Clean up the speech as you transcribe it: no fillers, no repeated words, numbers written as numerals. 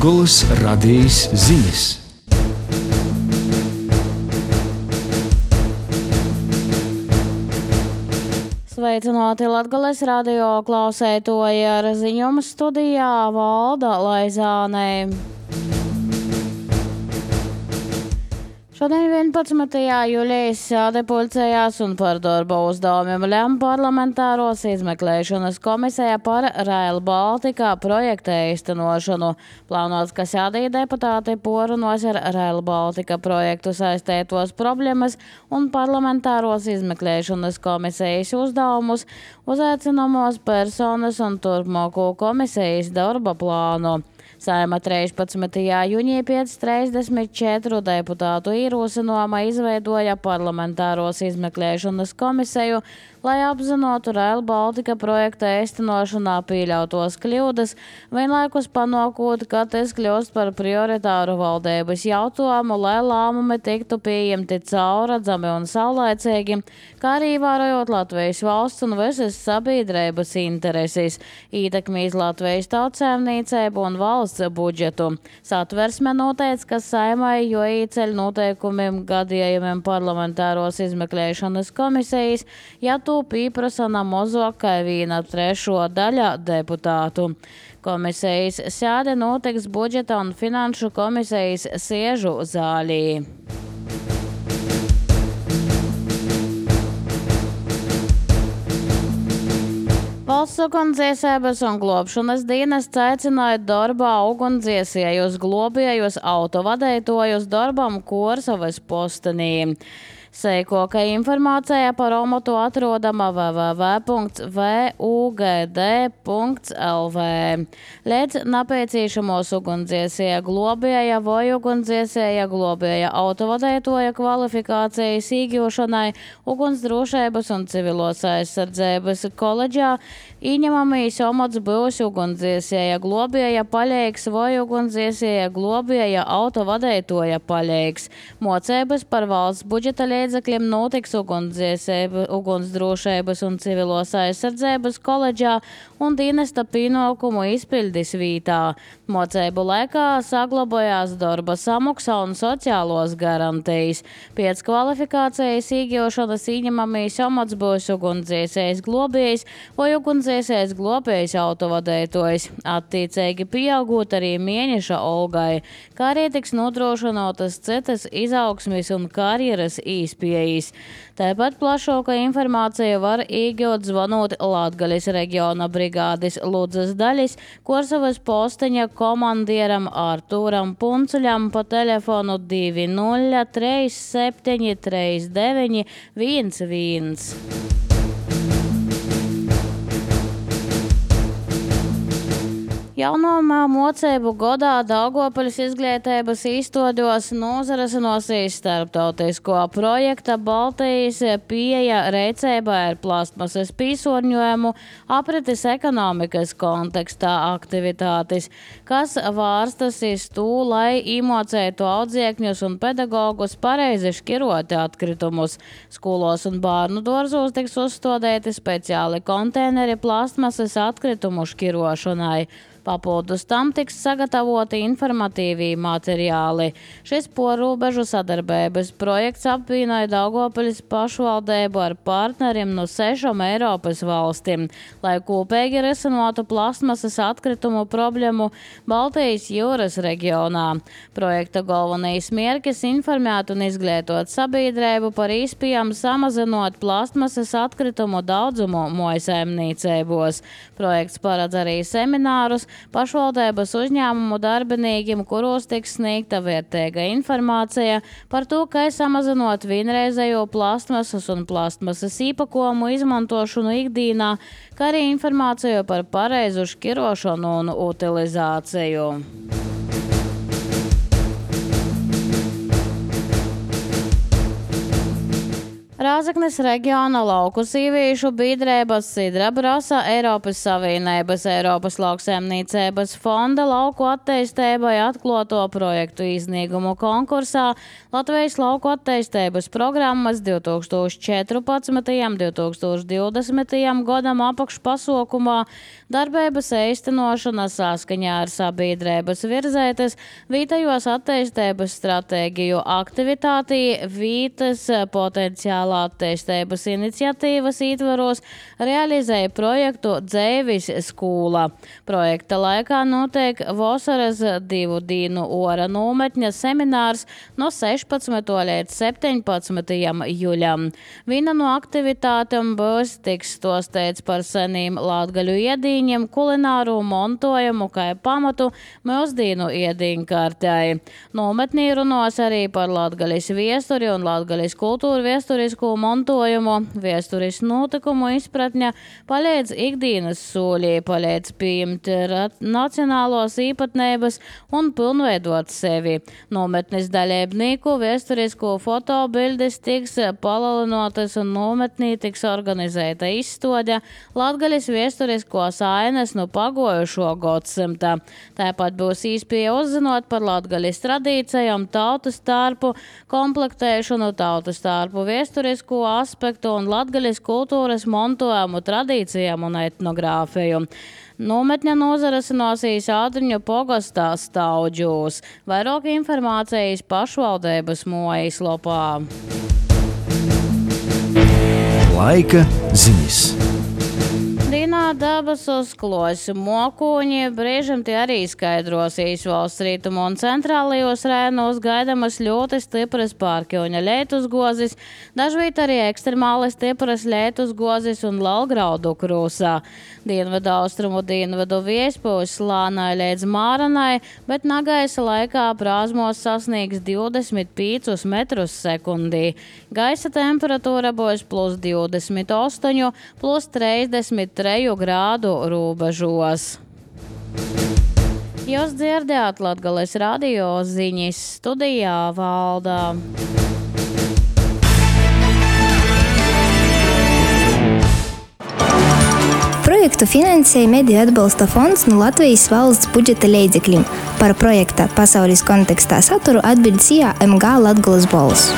Latgolas radijas ziņas. Sveicināti Latgolas radio klausētoji, ar ziņojumu studijā Valda Laizāne. Šodien 11. jūlijā sēde pulcējās un par darba uzdevumiem lem parlamentāros izmeklēšanas komisijā par Rail Baltica projekta īstenošanu. Plānots, ka sēdī deputāti porunos ar Rail Baltica projektu saistētos problēmas un parlamentāros izmeklēšanas komisijas uzdevumus, uzaicinamos personas un turpmāko komisijas darba plānu. Saeima 13. jūnijā 534 deputātu ierosinājumā izveidoja parlamentāros izmeklēšanas komisiju, lai apzinātu Rail Baltica projekta īstenošanā pieļautos kļūdas, vienlaikus panākot, ka tas kļūst par prioritāru valdības jautājumu, lai lēmumi tiktu pieņemti caurredzami un saulaicīgi, kā arī ievērojot Latvijas valsts un visas sabiedrības intereses, ietekmīs Latvijas tautsēmniecību un valsts budžetu. Satversme noteica, ka Saeimai jo īceļ noteikumiem gadījumiem parlamentāros izmeklēšanas komisijas, ja to pieprasa mazāk kā 1/3 daļa deputātu. Komisijas sēde notiks budžeta un finanšu komisijas sēžu zālī. Valsts ugunsdzēsības un globšanas dienests aicināja darbā ugunsdzēsējus globējus autovadītājus darbam Korsavas postenī. Seikoka informācija par omotu atrodama www.vugd.lv. Līdz nepieciešamos ugunsdzēsēja globēja vai ugunsdzēsēja globēja autovadītāja kvalifikācijas iegūšanai Ugunsdrošības un civilos aizsardzības koledžā ieņemamīs omots būs ugunsdzēsēja globēja paļeiks vai ugunsdzēsēja globēja autovadītāja paļeiks. Mocības par valsts budžeta līdzekļiem notiks Ugunsdrošības un civilos aizsardzības koledžā un dienesta pienākumu izpildes vietā. Mocību laikā saglabājās darba samaksa un sociālos garantijas. Pēc kvalifikācijas iegūšanas ieņemamīs omats būs ugunsdzēsējs globējs vai ugunsdzēsējs globējs autovadītājs, attiecīgi pieaugot arī mēneša algai, kā arī tiks nodrošinātas citas izaugsmes un karjeras īspējas. Tāpat plašāka informācija var iegūt zvanot Latgalis reģiona brigādes Ludzas daļas Korsavas posteņa komandieram Artūram Puncuļam pa telefonu 20373911. Jauno mocību godā Daugavpils izglītības izstādos nozarasinosies starptautisko projekta Baltijas pieeja rīcībai ar plastmasas piesārņojumu aprites ekonomikas kontekstā aktivitātes, kas vārstas iz to, lai iemocētu audzēkņus un pedagogus pareizi šķirot atkritumus. Skolos un bērnu dārzos tiks uzstādīti speciāli konteineri plastmasas atkritumu šķirošanai. Papildus tam tiks sagatavoti informatīvī materiāli. Šis porūbežu sadarbības projekts apvienoja Daugavpils pašvaldību ar partneriem no 6 Eiropas valstīm, lai kopīgi risinātu plastmasas atkritumu problēmu Baltijas jūras reģionā. Projekta galvenais mērķis informēt un izglītot sabiedrību par iespējām samazinot plastmasas atkritumu daudzumu mājsaimniecībos. Projekts paredz arī seminārus pašvaldības uzņēmumu darbiniekiem, kuros tiks sniegta vērtīga informācija par to, kā samazinot vienreizējo plastmasas un plastmasas īpakojumu izmantošanu ikdienā, kā arī informāciju par pareizu šķirošanu un utilizāciju. Rāzaknis reģiona lauku sīvīšu biedrības Sidra Brasa Eiropas Savienības Eiropas lauksaimniecības fonda lauku attīstībai atkloto projektu iznīgumu konkursā Latvijas lauku attīstības programmas 2014–2020 gadam apakšpasaukumā darbības īstenošana saskaņā ar sabiedrības virzētas vietējos attīstības stratēģiju aktivitātī vītas potenciāla attīstības iniciatīvas ietvaros realizēja projektu Dzeivis skūla. Projekta laikā notiek vasaras 2 dienu ora nometņa seminārs no 16. līdz 17. jūļam. Viena no aktivitātēm būs tiks stostēts par senīm latgaļu iedīņiem, kulināru montojumu kā pamatu mūsdienu iedīņkārtei. Nometnī runos arī par latgaļas viesturi un latgaļas kultūru viesturisku montojumu, viesturis notikumu izpratņa, palīdz ikdienas sūļī, palīdz pieņemt nacionālos īpatnības un pilnveidot sevi. Nometnes dalībnieku viesturisku fotobildes tiks palielinātas un nometnī tiks organizēta izstāde Latgaļas viesturiskos ainas no pagojušo gadsimta. Tāpat būs iespēja uzzinot par Latgaļas tradīcijām, tautas starpu komplektēšanu, tautas starpu viesturisku aspektu un latgaļas kultūras montojumu tradīcijām un etnogrāfiju. Nometņa nozarasinosies Ādriņu pogastā Staudžūs. Vairāk informācijas pašvaldības mājaslapā. Laika ziņas. Dienā dabas uzklos mokuņi, brīžam tie arī skaidrosīs valsts rītumu un centrālajos rēnos gaidamas ļoti stipras pārkļuņa lietus gozis, dažviet arī ekstremāli stipras lietus gozis un lalgraudu krūsā. Dienvedu austrumu dienvedu viespūs slānai līdz māranai, bet nagaisa laikā prāzmos sasniegs 25 metrus sekundī. Gaisa temperatūra būs +28, +33 grādu robežos. Jūs dzirdējāt Latgales radio ziņas, studijā Valdā. Projektu finansēja Mediju atbalsta fonds no Latvijas valsts budžeta līdzekļiem. Par projekta pasaules kontekstā saturu atbild CIA MG Latgales balss.